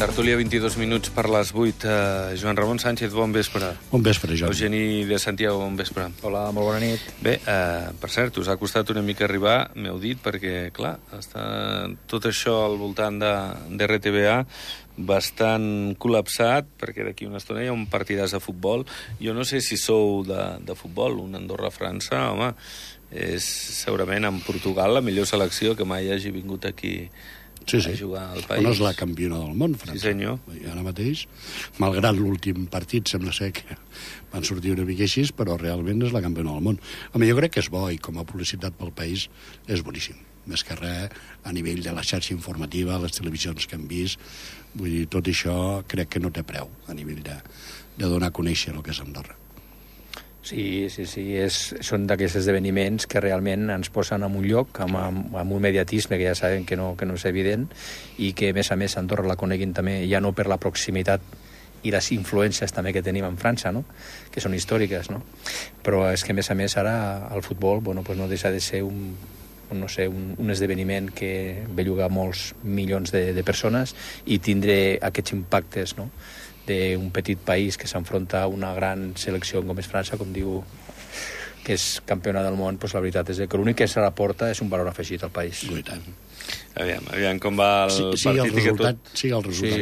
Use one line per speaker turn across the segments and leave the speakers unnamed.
Tertúlia, 22 minuts per les 8. Joan Ramon Sánchez, bon vespre.
Bon vespre, Jordi.
Eugeni de Santiago, bon vespre.
Hola, molt bona nit.
Bé, per cert, us ha costat una mica arribar, m'heu dit, perquè, clar, està tot això al voltant de RTBA bastant col·lapsat, perquè d'aquí una estona hi ha un partidàs de futbol. Jo no sé si sou de futbol, un Andorra-França, home, és segurament en Portugal la millor selecció que mai hagi vingut aquí a jugar al país.
No és la campiona del món, França.
Sí, senyor.
I ara mateix, malgrat l'últim partit, sembla ser que van sortir una mica així, però realment és la campiona del món. Home, jo crec que és bo, i com a publicitat pel país és boníssim. Més que res, a nivell de la xarxa informativa, les televisions que hem vist, vull dir, tot això crec que no té preu a nivell de donar a conèixer el que és Andorra.
Sí, són d'aquests esdeveniments que realment ens posen en un lloc amb un mediatisme que ja sabem que no és evident, i que, a més, Andorra la coneguin també, ja no per la proximitat i les influències també que tenim en França, no? Que són històriques, no? Però és que, a més, ara el futbol no deixa de ser un esdeveniment que belluga molts milions de persones i tindre aquests impactes, no?, d'un petit país que s'enfronta a una gran selecció com és França, com diu, que és campiona del món. Doncs la veritat és que l'únic que se la porta és un valor afegit al país.
I tant.
Aviam com va el partit.
Sí, el resultat.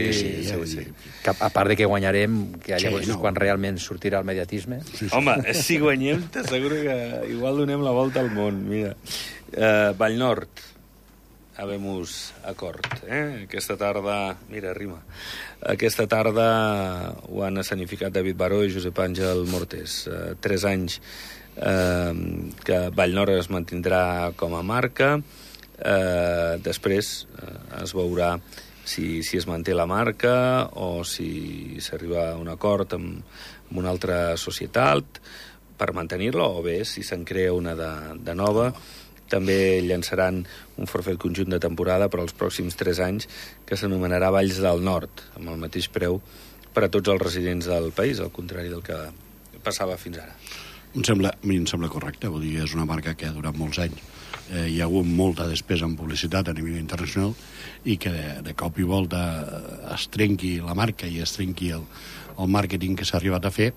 Sí.
A part de que guanyarem, que llavors és quan realment sortirà el mediatisme.
Sí. Home, si guanyem, t'asseguro que igual donem la volta al món. Mira, Vallnord, habemos acord. Aquesta tarda... Mira, rima. Aquesta tarda ho han escenificat David Baró i Josep Àngel Mortés. 3 anys que Vallnord es mantindrà com a marca. Després es veurà si es manté la marca o si s'arriba a un acord amb una altra societat per mantenir-la, o bé si se'n crea una de nova. També llançaran un forfait conjunt de temporada per als pròxims 3 anys que s'anomenarà Valls del Nord, amb el mateix preu per a tots els residents del país, al contrari del que passava fins ara.
A mi em sembla correcte, vull dir, és una marca que ha durat molts anys. Hi ha hagut molta despesa en publicitat a nivell internacional i que de cop i volta es trenqui la marca i es trenqui el màrqueting que s'ha arribat a fer.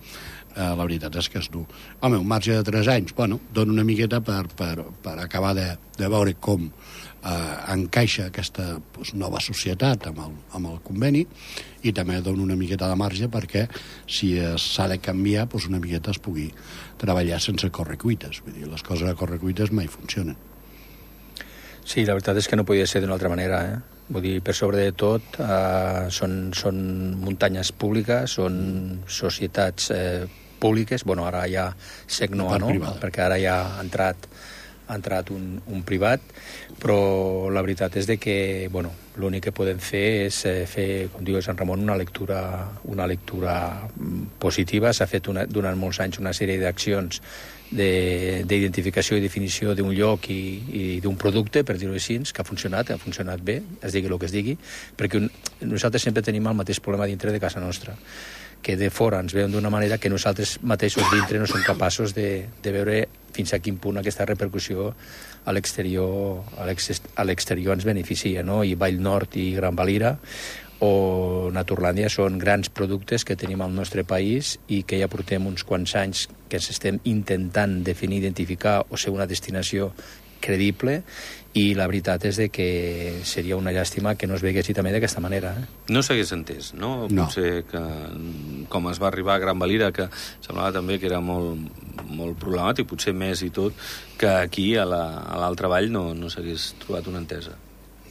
La veritat és que és dur. Home, un marge de 3 anys, dona una miqueta per acabar de veure com encaixa aquesta nova societat amb el conveni, i també dona una miqueta de marge perquè si s'ha de canviar, una miqueta es pugui treballar sense correcuites. Vull dir, les coses a correcuites mai funcionen.
Sí, la veritat és que no podia ser d'una altra manera, Vull dir, per sobre de tot, són muntanyes públiques, són societats públiques. Ara ja SECNO, perquè ara ja ha entrat un privat, però la veritat és que l'únic que podem fer és fer, com diu Sant Ramon, una lectura positiva. S'ha fet durant molts anys una sèrie d'accions d'identificació i definició d'un lloc i d'un producte, per dir-ho així, que ha funcionat bé, es digui el que es digui, perquè nosaltres sempre tenim el mateix problema dintre de casa nostra, que de fora ens veuen d'una manera que nosaltres mateixos dintre no som capaços de veure fins a quin punt aquesta repercussió a l'exterior ens beneficia, no? I Vallnord i Gran Valira o Naturlàndia són grans productes que tenim al nostre país i que ja portem uns quants anys que ens estem intentant definir, identificar o ser una destinació credible, i la veritat és que seria una llàstima que no es veguessi també d'aquesta manera.
No s'hagués entès, no? Potser que com es va arribar a Gran Valira, que semblava també que era molt problemàtic, potser més i tot, que aquí a l'altra vall no s'hagués trobat una entesa.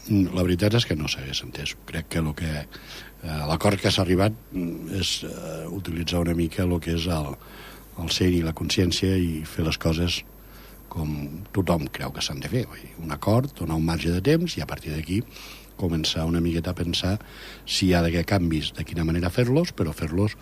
La veritat és que no s'hagués entès. Crec que l'acord que s'ha arribat és utilitzar una mica el que és el ser i la consciència i fer les coses com tothom creu que s'han de fer. Un acord, donar un marge de temps i a partir d'aquí començar una miqueta a pensar si hi ha d'haver canvis, de quina manera fer-los, però fer-los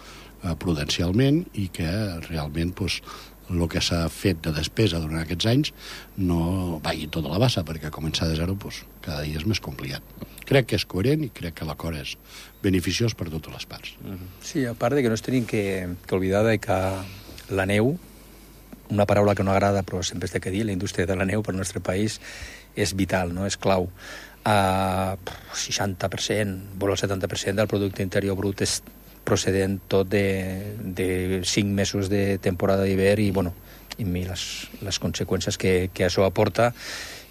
prudencialment i que realment el que s'ha fet de despesa durant aquests anys no vagi tota la bassa, perquè començar de zero cada dia és més complicat. Crec que és coherent i crec que l'acord és beneficiós per totes les parts.
Sí, a part de que no es tenim que oblidar de que la neu, una paraula que no agrada però sempre es té que dir, la indústria de la neu per al nostre país és vital, no? És clau. 60%, vol el 70% del producte interior brut és procedent tot de 5 mesos de temporada d'hivern i, bueno, i les conseqüències que això aporta,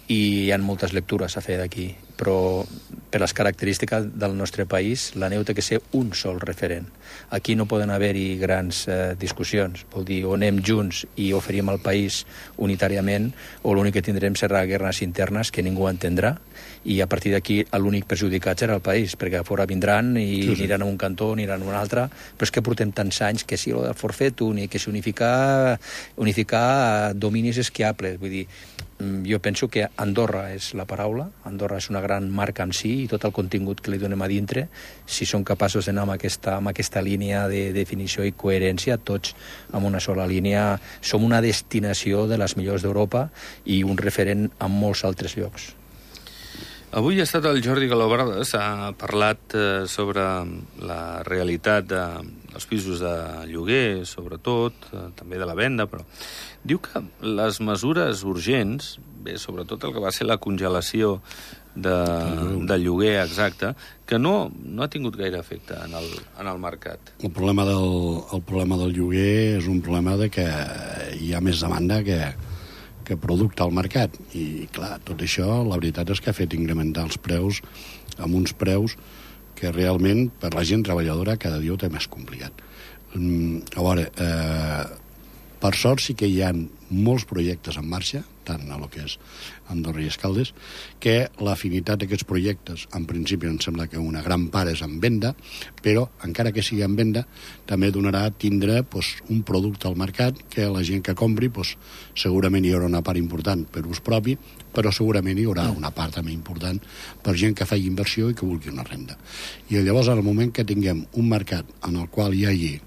i hi ha moltes lectures a fer d'aquí, però per les característiques del nostre país la neu té que ser un sol referent. Aquí no poden haver-hi grans discussions, vol dir, o anem junts i oferim al país unitàriament, o l'únic que tindrem serà guerres internes que ningú entendrà, i a partir d'aquí l'únic perjudicat serà el país, perquè a fora vindran i aniran a un cantó, aniran a un altre, però és que portem tants anys que si el forfetum i que si unificar dominis esquiables, vull dir, jo penso que Andorra és la paraula, Andorra és una gran marca en si, i tot el contingut que li donem a dintre, si som capaços d'anar amb aquesta línia de definició i coherència, tots amb una sola línia, som una destinació de les millors d'Europa i un referent en molts altres llocs.
Avui ha estat el Jordi Galobrades, ha parlat sobre la realitat dels pisos de lloguer, sobretot, també de la venda, però diu que les mesures urgents, bé, sobretot el que va ser la congelació del lloguer exacte, que no ha tingut gaire efecte en el mercat.
El problema del lloguer és un problema de que hi ha més demanda que producte al mercat, i clar, tot això la veritat és que ha fet incrementar els preus amb uns preus que realment per la gent treballadora cada dia ho té més complicat. A veure, per sort sí que hi ha molts projectes en marxa, tant a lo que és Andorra i Escaldes, que l'afinitat d'aquests projectes, en principi em sembla que una gran part és en venda, però encara que sigui en venda, també donarà a tindre un producte al mercat que la gent que compri, segurament hi haurà una part important per ús propi, però segurament hi haurà una part també important per gent que faci inversió i que vulgui una renda. I llavors, en el moment que tinguem un mercat en el qual hi hagi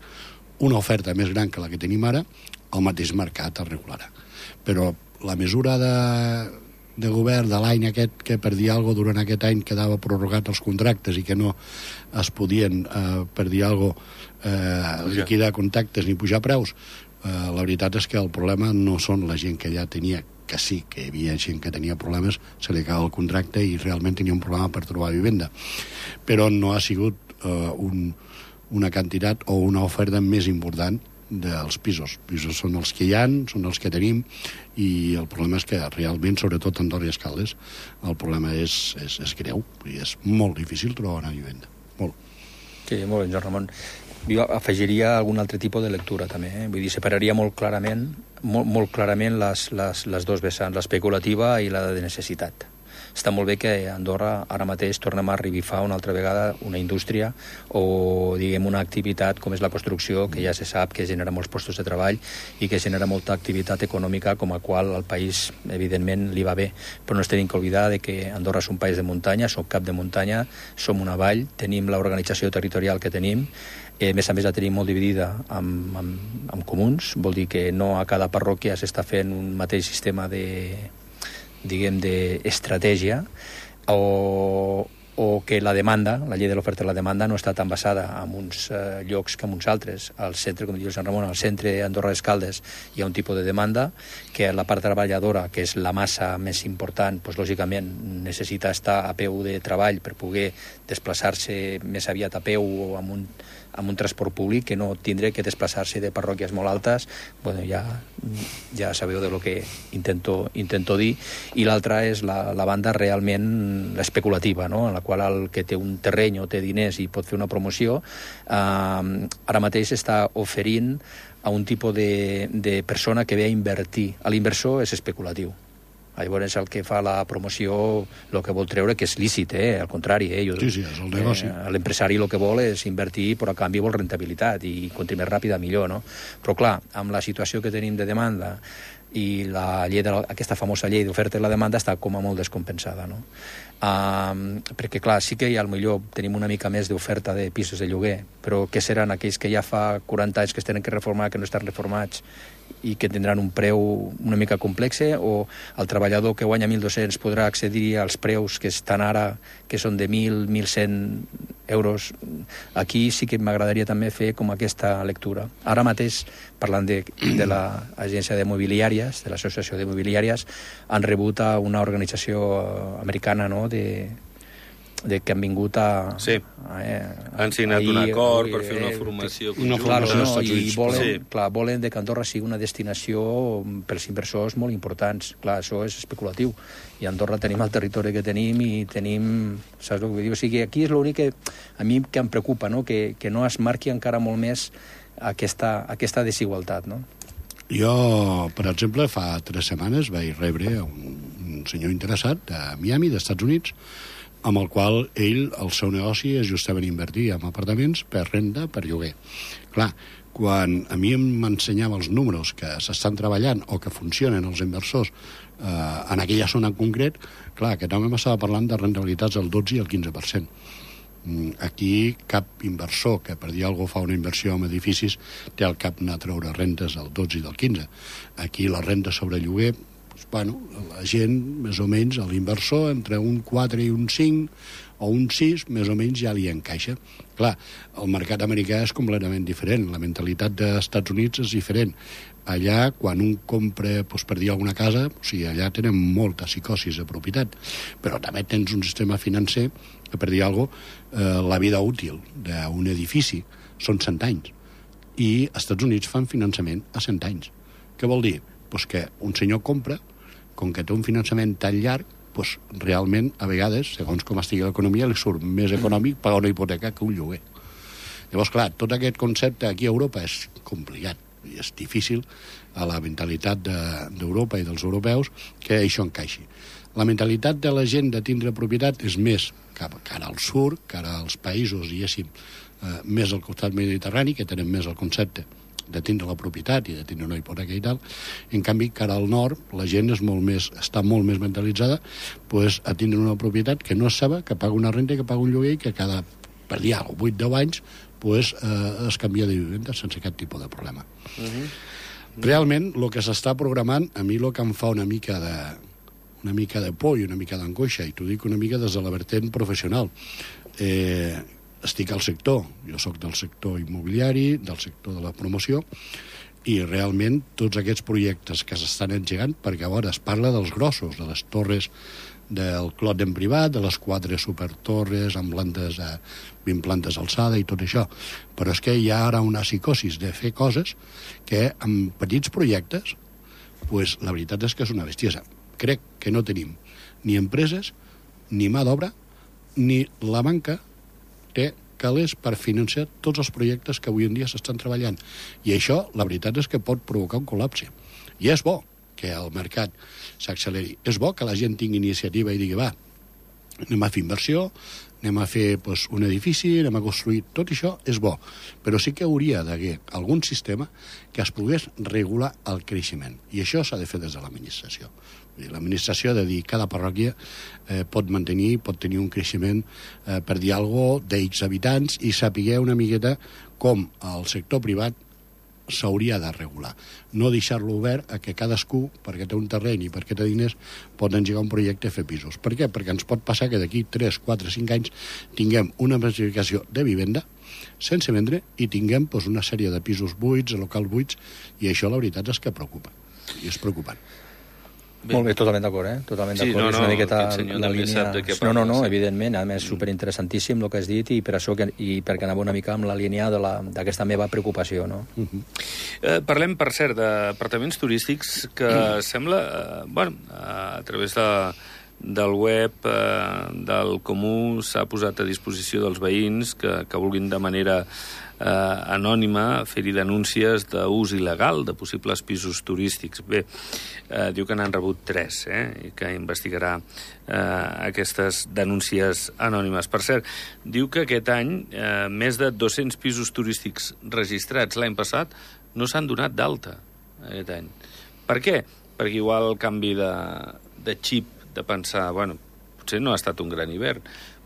una oferta més gran que la que tenim ara, el mateix mercat es regularà. Però la mesura de govern de l'any aquest, que per dir alguna cosa durant aquest any quedava prorrogat els contractes i que no es podien, per dir alguna cosa, liquidar contactes ni pujar preus, la veritat és que el problema no són la gent que ja tenia, que sí, que hi havia gent que tenia problemes, se li acaba el contracte i realment tenia un problema per trobar vivenda. Però no ha sigut una quantitat o una oferta més important dels pisos. Pisos són els que hi ha, són els que tenim, i el problema és que realment, sobretot a Andorra i Escaldes, el problema és greu, i és molt difícil trobar una vivenda. Molt.
Sí, molt bé, Joan Ramon. Jo afegiria algun altre tipus de lectura, també. Vull dir, separaria molt clarament les dos vessants, l'especulativa i la de necessitat. Està molt bé que a Andorra ara mateix tornem a revifar una altra vegada una indústria o, diguem, una activitat com és la construcció, que ja se sap que genera molts postos de treball i que genera molta activitat econòmica, com a qual al país, evidentment, li va bé. Però no ens tenim que oblidar de que Andorra és un país de muntanya, som cap de muntanya, som una vall, tenim l'organització territorial que tenim, a més la tenim molt dividida amb comuns, vol dir que no a cada parròquia s'està fent un mateix sistema d'estratègia, o que la demanda, la llei de l'oferta i la demanda, no està tan basada en uns llocs que en uns altres. Al centre, com diu Joan Ramon, al centre Andorra d'Escaldes hi ha un tipus de demanda que la part treballadora, que és la massa més important, lògicament necessita estar a peu de treball per poder desplaçar-se més aviat a peu o amb un transport públic, que no tindré que desplaçar-se de parròquies molt altes. Bueno, ja sabeu de lo que intento dir. I l'altra és la banda realment especulativa, no? En la qual el que té un terreny o té diners i pot fer una promoció, ara mateix està oferint a un tipus de persona que ve a invertir. L'inversor és especulatiu. Llavors el que fa la promoció el que vol treure, que és lícit, al contrari.
Sí, és el negoci.
L'empresari el que vol és invertir, però a canvi vol rentabilitat, i quanti més ràpida millor, no? Però clar, amb la situació que tenim de demanda i la llei aquesta famosa llei d'oferta i la demanda està com a molt descompensada, no? Perquè clar, sí que millor tenim una mica més d'oferta de pisos de lloguer, però què seran aquells que ja fa 40 anys que es tenen que reformar, que no estan reformats i que tindran un preu una mica complex, o el treballador que guanya 1.200 podrà accedir als preus que estan ara, que són de 1.000, 1.100 euros. Aquí sí que m'agradaria també fer com aquesta lectura. Ara mateix, parlant de l'agència d'immobiliàries, de l'associació d'immobiliàries, han rebut a una organització americana, no?, de que han vingut a...
Sí, han signat un acord per fer una formació conjunta.
Volen que Andorra sigui una destinació pels inversors molt importants. Clar, això és especulatiu. I a Andorra tenim el territori que tenim i tenim... Saps el que vull dir? O sigui, aquí és l'únic que a mi que em preocupa, no? Que no es marqui encara molt més aquesta desigualtat, no?
Jo, per exemple, fa 3 setmanes vaig rebre un senyor interessat a Miami, dels Estats Units, amb el qual el seu negoci és justament invertir en apartaments per renda, per lloguer. Clar, quan a mi m'ensenyava els números que s'estan treballant o que funcionen els inversors en aquella zona en concret, clar, aquest home m'estava parlant de rentabilitats del 12 i el 15%. Aquí cap inversor que per dir alguna cosa fa una inversió en edificis té al cap anar a treure rentes del 12 i del 15. Aquí la renta sobre lloguer, bueno, la gent, més o menys, l'inversor, entre un 4 i un 5 o un 6, més o menys ja li encaixa. Clar, el mercat americà és completament diferent, la mentalitat dels Estats Units és diferent. Allà, quan un compra, doncs, per dir alguna casa, o sigui, allà tenen molta psicosis de propietat, però també tens un sistema financer que, per dir alguna cosa, la vida útil d'un edifici són 100 anys, i als Estats Units fan finançament a 100 anys. Què vol dir? Pues que un senyor compra, com que té un finançament tan llarg, pues realment, a vegades, segons com estigui l'economia, li surt més econòmic pagar una hipoteca que un lloguer. Llavors, clar, tot aquest concepte aquí a Europa és complicat i és difícil a la mentalitat d'Europa i dels europeus que això encaixi. La mentalitat de la gent de tindre propietat és més cap cara al sud, cara als països, diguéssim, més al costat mediterrani, que tenen més el concepte de tindre la propietat i de tindre una hipoteca i tal. En canvi, cara al nord, la gent està molt més mentalitzada pues, a tindre una propietat que no és seva, que paga una renta i que paga un lloguer i que cada, per dir alguna cosa, 8-10 anys pues, es canvia de vivenda sense cap tipus de problema. Realment, el que s'està programant, a mi el que em fa una mica de por i una mica d'angoixa, i t'ho dic una mica des de la vertent professional. Estic al sector, jo sóc del sector immobiliari, del sector de la promoció, i realment tots aquests projectes que s'estan engegant, perquè a vegades es parla dels grossos, de les torres del Clot en privat, de les 4 supertorres amb 20 plantes d'alçada i tot això, però és que hi ha ara una psicosis de fer coses que amb petits projectes pues, la veritat és que és una bestiesa. Crec que no tenim ni empreses, ni mà d'obra, ni la banca té calés per financiar tots els projectes que avui en dia s'estan treballant. I això, la veritat és que pot provocar un col·lapse. I és bo que el mercat s'acceleri. És bo que la gent tingui iniciativa i digui, va, anem a fer inversió, anem a fer pues, un edifici, anem a construir... Tot això és bo, però sí que hauria d'haver algun sistema que es pogués regular el creixement. I això s'ha de fer des de l'administració. L'administració ha de dir que cada parròquia pot tenir un creixement, per dir alguna cosa, d'X habitants i saber una miqueta com el sector privat s'hauria de regular. No deixar-lo obert a que cadascú, perquè té un terreny i perquè té diners, pot engegar un projecte a fer pisos. Per què? Perquè ens pot passar que d'aquí 3, 4, 5 anys tinguem una massificació de vivenda sense vendre i tinguem pues, una sèrie de pisos buits, locals buits, i això la veritat és que preocupa. I és preocupant.
Bé. Molt bé, totalment d'acord, Totalment d'acord. És una miqueta la línia... No, evidentment, a més, superinteressantíssim el que has dit i per això perquè anava una mica amb la línia d'aquesta meva preocupació, no?
Parlem, per cert, d'apartaments turístics que sembla, a través del web del Comú s'ha posat a disposició dels veïns que vulguin de manera anònima fer-hi denúncies d'ús il·legal de possibles pisos turístics. Bé, diu que n'han rebut 3, i que investigarà aquestes denúncies anònimes. Per cert, diu que aquest any més de 200 pisos turístics registrats l'any passat no s'han donat d'alta aquest any. Per què? Perquè igual el canvi de xip, de pensar, potser no ha estat un gran hivern,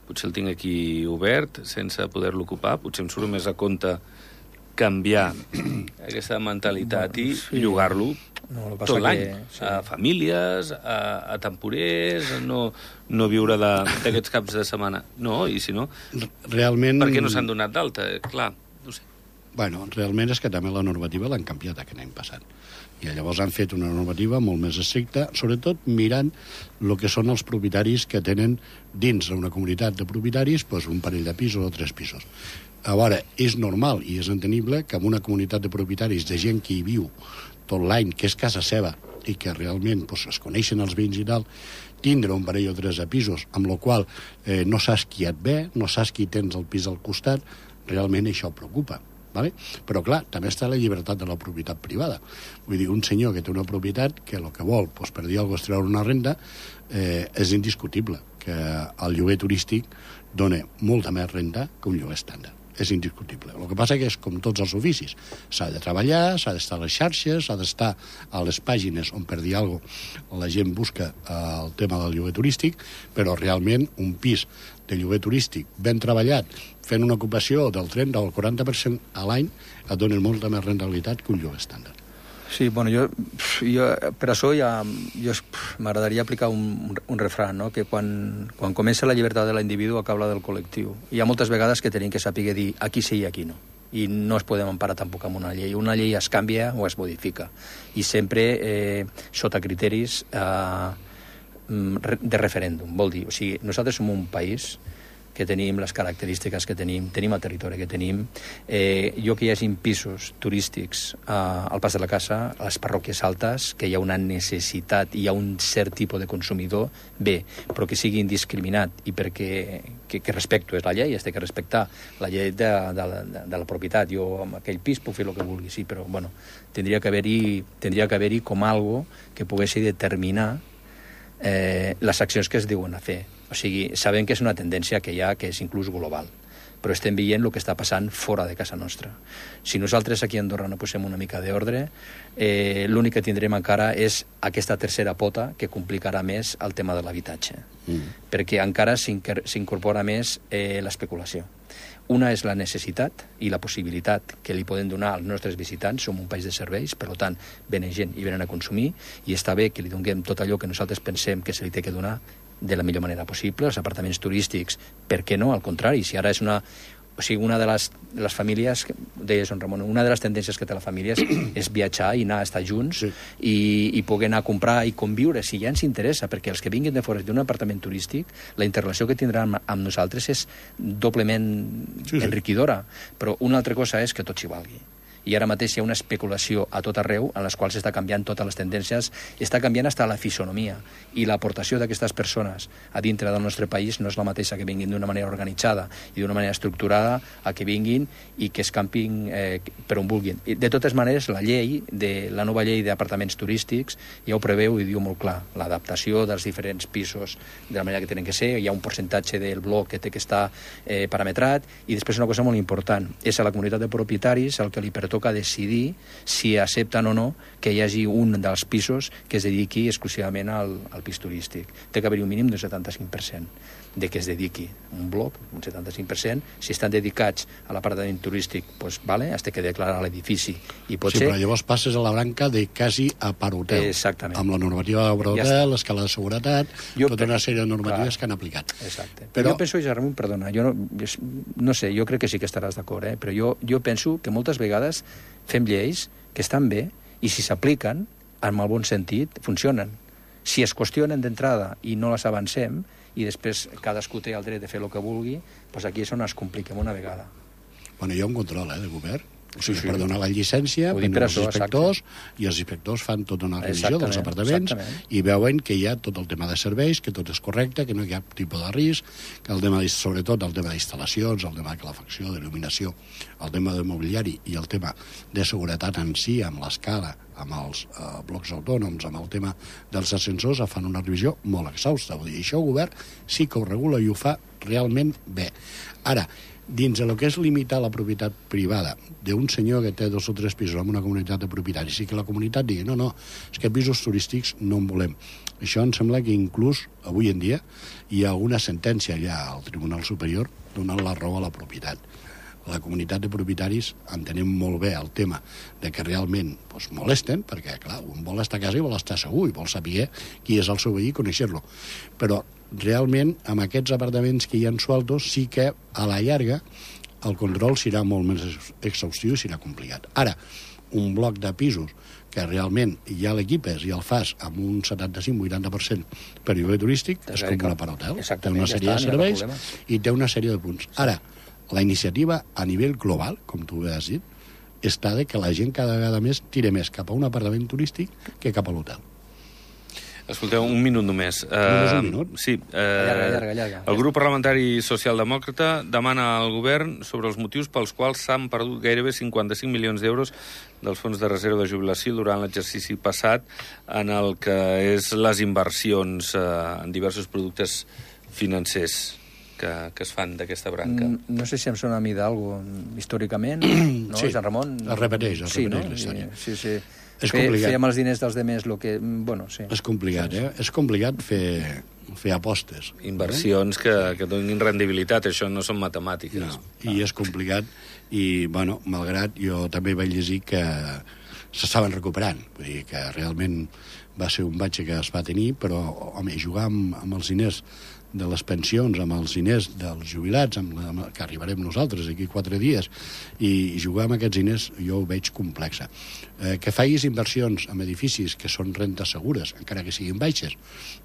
potser el tinc aquí obert sense poder-lo ocupar, potser em surt més a compte canviar aquesta mentalitat i llogar-lo tot l'any, a famílies, a temporers, no viure d'aquests caps de setmana. No, i si no,
realment...
per què no s'han donat d'alta? Clar, no sé.
Realment és que també la normativa l'han canviat aquest any passat. I llavors han fet una normativa molt més estricta, sobretot mirant el que són els propietaris que tenen dins d'una comunitat de propietaris doncs un parell de pisos o 3 pisos. A veure, és normal i és entendible que en una comunitat de propietaris de gent que hi viu tot l'any, que és casa seva, i que realment doncs, es coneixen els veïns i tal, tindre un parell o 3 de pisos, amb la qual no saps qui et ve, no saps qui tens el pis al costat, realment això preocupa. Vale? Però, clar, també està la llibertat de la propietat privada. Vull dir, un senyor que té una propietat que el que vol, doncs, per dir alguna cosa, és treure una renda, és indiscutible que el lloguer turístic dona molta més renda que un lloguer estàndard. És indiscutible. El que passa que és com tots els oficis. S'ha de treballar, s'ha d'estar a les xarxes, s'ha d'estar a les pàgines on, per dir alguna cosa, la gent busca el tema del lloguer turístic, però realment un pis de lloguer turístic ben treballat, fent una ocupació del 30 o el 40% a l'any, et donen molta més rendibilitat que un lloguer estàndard.
Sí, bueno, jo per això m'agradaria aplicar un refrán, no? Que quan comença la llibertat de l'individu acaba del col·lectiu. Hi ha moltes vegades que tenim que saber dir aquí sí i aquí no. I no es podem emparar tampoc amb una llei. Una llei es canvia o es modifica. I sempre sota criteris de referèndum. Vol dir, o sigui, nosaltres som un país que tenim les característiques que tenim el territori que tenim. Jo que hi hagi pisos turístics al Pas de la Casa, a les parròquies altes, que hi ha una necessitat, hi ha un cert tipus de consumidor, bé, però que sigui indiscriminat i perquè que respecto és la llei, has de respectar la llei de la propietat. Jo amb aquell pis puc fer el que vulgui, sí, però bueno, tindria que haver-hi com algo que poguessi determinar les accions que es diuen a fer. O sigui, sabem que és una tendència que hi ha, que és inclús global, però estem veient el que està passant fora de casa nostra. Si nosaltres aquí a Andorra no posem una mica d'ordre, l'únic que tindrem encara és aquesta tercera pota que complicarà més el tema de l'habitatge, perquè encara s'incorpora més l'especulació. Una és la necessitat i la possibilitat que li podem donar als nostres visitants. Som un país de serveis, per tant, venen gent i venen a consumir, i està bé que li donem tot allò que nosaltres pensem que se li té que donar de la millor manera possible. Els apartaments turístics, per què no? Al contrari, si ara és una de les famílies, deies, Ramon, una de les tendències que té la família és viatjar i anar a estar junts, sí, i poder anar a comprar i conviure, si ja ens interessa, perquè els que vinguin de fora d'un apartament turístic, la interrelació que tindran amb nosaltres és doblement enriquidora, però una altra cosa és que tot s'hi valgui. I ara mateix hi ha una especulació a tot arreu en les quals està canviant totes les tendències, està canviant fins a la fisonomia, i l'aportació d'aquestes persones a dintre del nostre país no és la mateixa que vinguin d'una manera organitzada i d'una manera estructurada a que vinguin i que escampin per on vulguin. De totes maneres, la nova llei d'apartaments turístics ja ho preveu i diu molt clar, l'adaptació dels diferents pisos de la manera que tenen que ser, hi ha un percentatge del bloc que té que estar parametrat, i després una cosa molt important, és a la comunitat de propietaris el que li pertoca decidir si accepten o no que hi hagi un dels pisos que es dediqui exclusivament al pis turístic. Té que haver-hi un mínim d'un 75% de que es dediqui un bloc, un 75%. Si estan dedicats a l'apartament turístic, doncs, vale, has de declarar l'edifici. I pot ser...
però llavors passes a la branca de quasi a per hotel.
Exactament.
Amb la normativa de per hotel, l'escala de seguretat, tota una sèrie de normatives que han aplicat.
Exacte. Però jo penso, Ramon, perdona, jo no sé, jo crec que sí que estaràs d'acord, però jo penso que moltes vegades fem lleis que estan bé i si s'apliquen, en el bon sentit, funcionen. Si es qüestionen d'entrada i no les avancem, i després cadascú té el dret de fer el que vulgui, doncs aquí és on es compliquem una vegada.
Bueno, hi ha un control de govern. O sigui, per donar la llicència,
venen els
inspectors, i els inspectors fan tota una revisió dels apartaments i veuen que hi ha tot el tema de serveis, que tot és correcte, que no hi ha cap tipus de risc, que el tema, sobretot el tema d'instal·lacions, el tema de calefacció, d'il·luminació, el tema de mobiliari i el tema de seguretat en si, amb l'escala, amb els blocs autònoms, amb el tema dels ascensors, fan una revisió molt exhausta. Vull dir, això el govern sí que ho regula i ho fa realment bé. Ara, dins del que és limitar la propietat privada d'un senyor que té 2 o 3 pisos en una comunitat de propietaris i que la comunitat digui no, és que pisos turístics no en volem. Això em sembla que inclús avui en dia hi ha una sentència allà al Tribunal Superior donant la raó a la propietat. La comunitat de propietaris entenem molt bé el tema de que realment molesten, perquè clar, un vol estar a casa i vol estar segur i vol saber qui és el seu veí i conèixer-lo. Però realment amb aquests apartaments que hi ha sueltos sí que a la llarga el control serà molt més exhaustiu i serà complicat. Ara, un bloc de pisos que realment ja l'equipes i el fas amb un 75-80% per lloguer turístic, es compra per hotel. Té una sèrie de serveis i té una sèrie de punts. Ara, la iniciativa a nivell global, com tu has dit, està de que la gent cada vegada més tira més cap a un apartament turístic que cap a l'hotel.
Escolteu, un minut només.
Només un minut?
Sí.
Llarga.
El grup parlamentari socialdemòcrata demana al govern sobre els motius pels quals s'han perdut gairebé 55 milions d'euros dels fons de reserva de jubilació durant l'exercici passat en el que és les inversions en diversos productes financers que es fan d'aquesta branca.
No sé si em sona a mi d'algú històricament, no,
Sí,
Sant Ramon?
es repeteix la història.
Sí.
És complicat.
Fèiem els diners dels demés, lo que... Bueno, sí.
És complicat, És complicat fer apostes.
Inversions que donin rendibilitat, això no són matemàtiques.
No, i és complicat, i, bueno, malgrat jo també vaig llegir que s'estaven recuperant, vull dir que realment va ser un batxe que es va tenir, però, home, jugar amb els diners de les pensions, amb els diners dels jubilats, que arribarem nosaltres aquí 4 dies, i jugar amb aquests diners jo ho veig complexa. Que facis inversions en edificis que són rentes segures, encara que siguin baixes,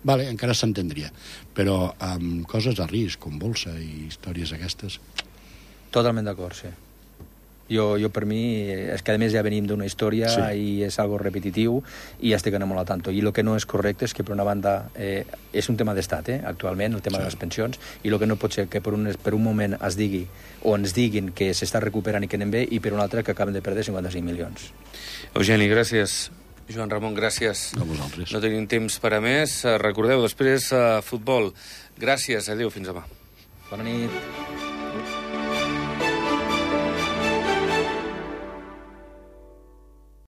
vale, encara s'entendria, però amb coses de risc, com bolsa i històries aquestes...
Totalment d'acord, sí. Jo per mi, és que a més ja venim d'una història i és algo repetitiu i ja estic molt al tanto. I el que no és correcte és que, per una banda, és un tema d'estat, actualment, el tema de les pensions, i el que no pot ser que per un moment es digui o ens diguin que s'està recuperant i que anem bé, i per un altre que acaben de perdre 55 milions.
Eugeni, gràcies. Joan Ramon, gràcies.
A vosaltres.
No tenim temps per a més. Recordeu, després futbol. Gràcies, adéu, fins demà.
Bona nit.